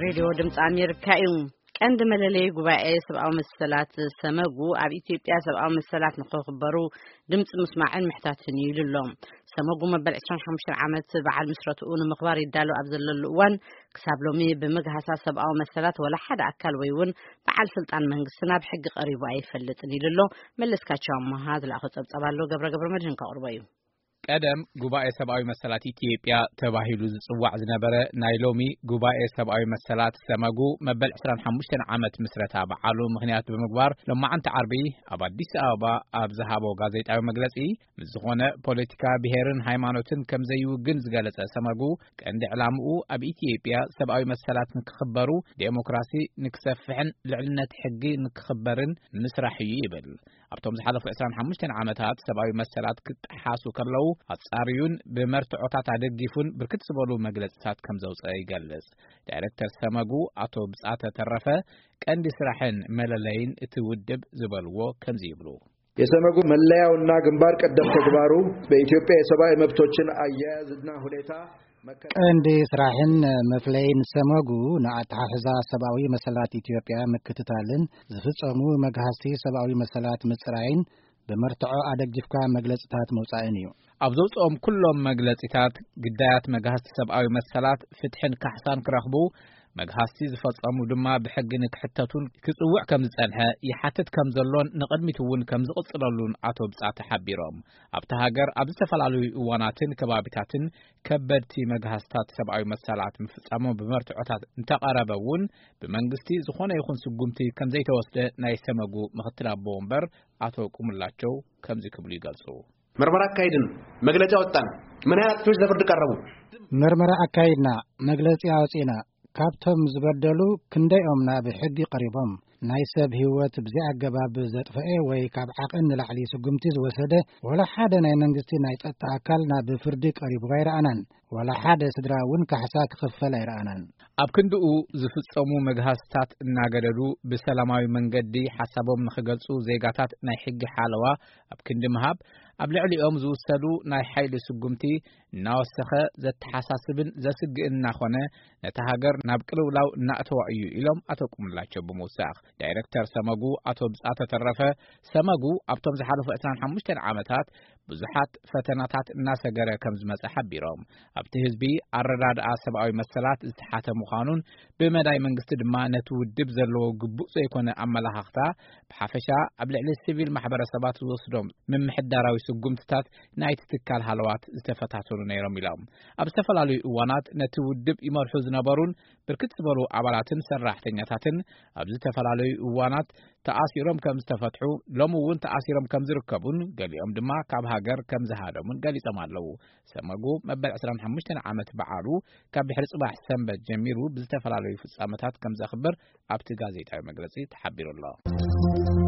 ሬድዮ ድምፂ ኣሜሪካ እዩ። ቀንዲ መለለይ ጉባኤ ሰብኣዊ መሰላት ሰመጉ ኣብ ኢትዮጵያ ሰብኣዊ መሰላት ንክኽበሩ ድምፂ ምስማዕን ምሕታትን እዩ ኢሉ ኣሎ። ሰመጉ መበል ዕስራን ሓሙሽተን ዓመት በዓል ምስረትኡ ንምኽባር ይዳሎ ኣብ ዘለሉ እዋን፣ ክሳብ ሎሚ ብምግሃሳ ሰብኣዊ መሰላት ወላ ሓደ ኣካል ወይ እውን በዓል ስልጣን መንግስቲ ናብ ሕጊ ቀሪቡ ኣይፈልጥን ኢሉ ኣሎ። መለስካቸው ኣመሃ ዝለኣኾ ጸብጻብ ኣሎ፣ ገብረ ገብረ መድህን ከቕርቦ እዩ። ቀደም ጉባኤ ሰብኣዊ መሰላት ኢትዮጵያ ተባሂሉ ዝጽዋዕ ዝነበረ፣ ናይ ሎሚ ጉባኤ ሰብኣዊ መሰላት ሰመጉ መበል ዕስራን ሓሙሽተን ዓመት ምስረታ በዓሉ ምኽንያት ብምግባር፣ ሎማዓንቲ ዓርቢ ኣብ ኣዲስ ኣበባ ኣብ ዝሃቦ ጋዜጣዊ መግለጺ፣ ምስ ዝኾነ ፖለቲካ፣ ብሄርን ሃይማኖትን ከም ዘይውግን ዝገለጸ ሰመጉ፣ ቀንዲ ዕላምኡ ኣብ ኢትዮጵያ ሰብኣዊ መሰላት ንክኽበሩ፣ ዴሞክራሲ ንክሰፍሕን ልዕልነት ሕጊ ንክኽበርን ምስራሕ እዩ ይብል። ኣብቶም ዝሓለፉ ዕስራን ሓሙሽተን ዓመታት ሰብኣዊ መሰላት ክጠሓሱ ከለዉ ኣጻርዩን ብመርትዖታት ኣደጊፉን ብርክት ዝበሉ መግለጽታት ከም ዘውጸአ ይገልጽ። ዳይሬክተር ሰመጉ ኣቶ ብጻተ ተረፈ፣ ቀንዲ ስራሕን መለለይን እቲ ውድብ ዝበልዎ ከምዚ ይብሉ። የሰመጉ መለያውና ግንባር ቀደም ተግባሩ በኢትዮጵያ የሰብኣዊ መብቶችን አያያዝና ሁኔታ መከ- ቀንዲ ስራሕን መፍለይን ሰመጉ ንኣተሓሕዛ ሰብኣዊ መሰላት ኢትዮጵያ ምክትታልን ዝፍጸሙ መግሃስቲ ሰብኣዊ መሰላት ምጽራይን ብመርትዖ ኣደጊፍካ መግለጽታት መውጻእን እዩ። ኣብ ዘውጽኦም ኩሎም መግለጺታት፣ ግዳያት መግሃስቲ ሰብኣዊ መሰላት ፍትሕን ካሕሳን ክረኽቡ፣ መግሃስቲ ዝፈጸሙ ድማ ብሕጊ ንክሕተቱን ክጽውዕ ከም ዝጸንሐ፣ ይሓትት ከም ዘሎን ንቕድሚት እውን ከም ዝቕጽለሉን ኣቶ ብጻተ ሓቢሮም። ኣብታ ሃገር ኣብ ዝተፈላለዩ እዋናትን ከባቢታትን ከበድቲ መግሃስታት ሰብኣዊ መሰላት ምፍጻሞም ብመርትዖታት እንተቐረበ እውን፣ ብመንግስቲ ዝኾነ ይኹን ስጉምቲ ከም ዘይተወስደ ናይ ሰመጉ ምኽትል ኣቦ ወንበር ኣቶ ቁምላቸው ከምዚ ክብሉ ይገልጹ። ምርመራ ኣካይድን መግለጺ ኣወጣን። ምን ያህል አጥፊዎች ለፍርድ ቀረቡ? ምርመራ ኣካይድና፣ መግለጺ ኣውጺእና። ካብቶም ዝበደሉ ክንደይኦም ናብ ሕጊ ቀሪቦም? ናይ ሰብ ህይወት ብዘይ ኣገባብ ዘጥፈኤ ወይ ካብ ዓቐን ንላዕሊ ስጉምቲ ዝወሰደ ወላ ሓደ ናይ መንግስቲ ናይ ጸጥታ ኣካል ናብ ፍርዲ ቀሪቡ ኣይረኣናን። ወላ ሓደ ስድራ እውን ካሕሳ ክኽፈል ኣይረኣናን። ኣብ ክንድኡ ዝፍጸሙ መግሃስታት እናገደዱ ብሰላማዊ መንገዲ ሓሳቦም ንኽገልጹ ዜጋታት ናይ ሕጊ ሓለዋ ኣብ ክንዲ ምሃብ፣ ኣብ ልዕሊኦም ዝውሰዱ ናይ ሓይሊ ስጉምቲ እናወሰኸ ዘተሓሳስብን ዘስግእን እናኾነ፣ ነታ ሃገር ናብ ቅልውላው እናእተዋ እዩ ኢሎም ኣቶ ቁምላቸው ብምውሳኽ። ዳይሬክተር ሰመጉ ኣቶ ብጻተ ተረፈ፣ ሰመጉ ኣብቶም ዝሓለፉ ዕስራን ሓሙሽተን ዓመታት ብዙሓት ፈተናታት እናሰገረ ከም ዝመጸ ሓቢሮም፣ ኣብቲ ህዝቢ ኣረዳድኣ ሰብኣዊ መሰላት ዝተሓተ ምዃኑን ብመዳይ መንግስቲ ድማ ነቲ ውድብ ዘለዎ ግቡእ ዘይኮነ ኣመላኻኽታ ብሓፈሻ ኣብ ልዕሊ ሲቪል ማሕበረሰባት ዝወስዶም ምምሕዳራዊ ስጉምትታት ናይቲ ትካል ሃለዋት ዝተፈታተኑ ነይሮም ኢሎም። ኣብ ዝተፈላለዩ እዋናት ነቲ ውድብ ይመርሑ ዝነበሩን ብርክት ዝበሉ ኣባላትን ሰራሕተኛታትን ኣብ ዝተፈላለዩ እዋናት ተኣሲሮም ከም ዝተፈትሑ፣ ሎሚ እውን ተኣሲሮም ከም ዝርከቡን ገሊኦም ድማ ካብ ሃገር ከም ዝሃደሙን ገሊጾም ኣለዉ። ሰመጉ መበል ዕስራን ሓሙሽተን ዓመት በዓሉ ካብ ድሕሪ ጽባሕ ሰንበት ጀሚሩ ብዝተፈላለዩ ፍጻመታት ከም ዘኽብር ኣብቲ ጋዜጣዊ መግለጺ ተሓቢሩ ኣሎ።